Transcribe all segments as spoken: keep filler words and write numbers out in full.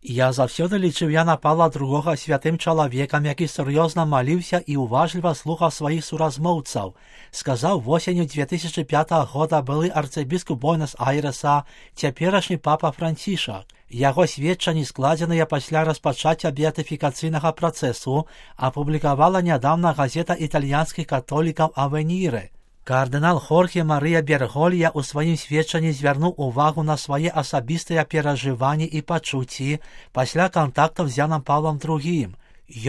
Я заўсёды лічыў Яна Паўла другога святым чалавекам, які сур'ёзна маліўся і уважліва слухаў сваіх суразмоўцаў, сказаў восенню две тысячи пятага года былы арцыбіскуп Буэнос-Айрэса, цяперашні папа Францішак. Яго сведчанні, складзеныя пасля распачацця беатыфікацыйнага працэсу, апублікавала нядаўна газета італьянскіх католікаў «Авеніре». Кардынал Хорхе Марыя Берголья ў сваім сведчанні звярнуў увагу на свае асабістыя перажыванні і пачуцці пасля кантактаў з Янам Паўлам другім.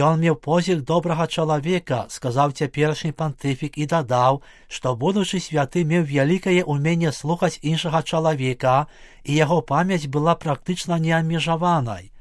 Ён меў позірк добрага чалавека, сказаў цяперашні пантыфік і дадаў, што будучы святы меў вялікае ўменне слухаць іншага чалавека, і яго памяць была практычна неабмежаванай.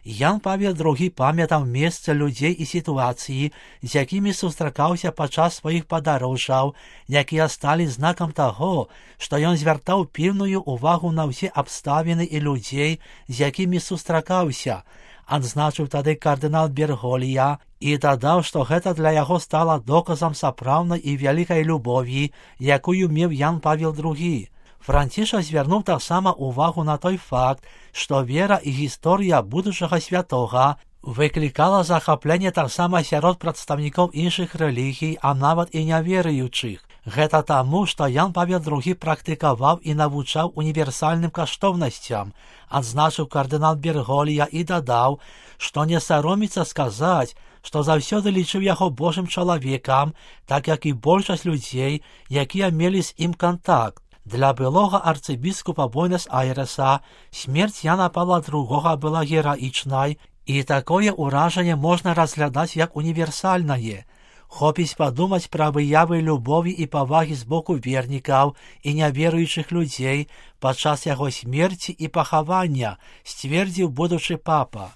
Ян Павел другі памятаў месцы, людзей і сітуацыі, з якімі сустракаўся падчас сваіх падарожжаў, якія сталі знакам таго, што ён звяртаў пільную ўвагу на ўсе абставіны і людзей, з якімі сустракаўся, адзначыў тады кардынал Берголья і дадаў, што гэта для яго стала доказам сапраўднай і вялікай любові, якую меў Ян Павел другі. Францішак звярнуў таксама ўвагу на той факт, што вера і гісторыя будучага святога выклікала захапленне таксама сярод прадстаўнікоў іншых рэлігій, а нават і няверуючых. Гэта таму, што Ян Павел другі практыкаваў і навучаў універсальным каштоўнасцям, адзначыў кардынал Берголья і дадаў, што не сароміцца сказаць, што заўсёды лічыў яго Божым чалавекам, так як і большасць людзей, якія мелі з ім кантакт. Для былога арцыбіскупа Буэнос-Айрэса смерць Яна Паўла другога была гераічнай, і такое ўражанне можна разглядаць як універсальнае. Хопіць падумаць пра выявы любові і павагі з боку вернікаў і няверуючых людзей падчас яго смерці і пахавання, сцвердзіў будучы папа.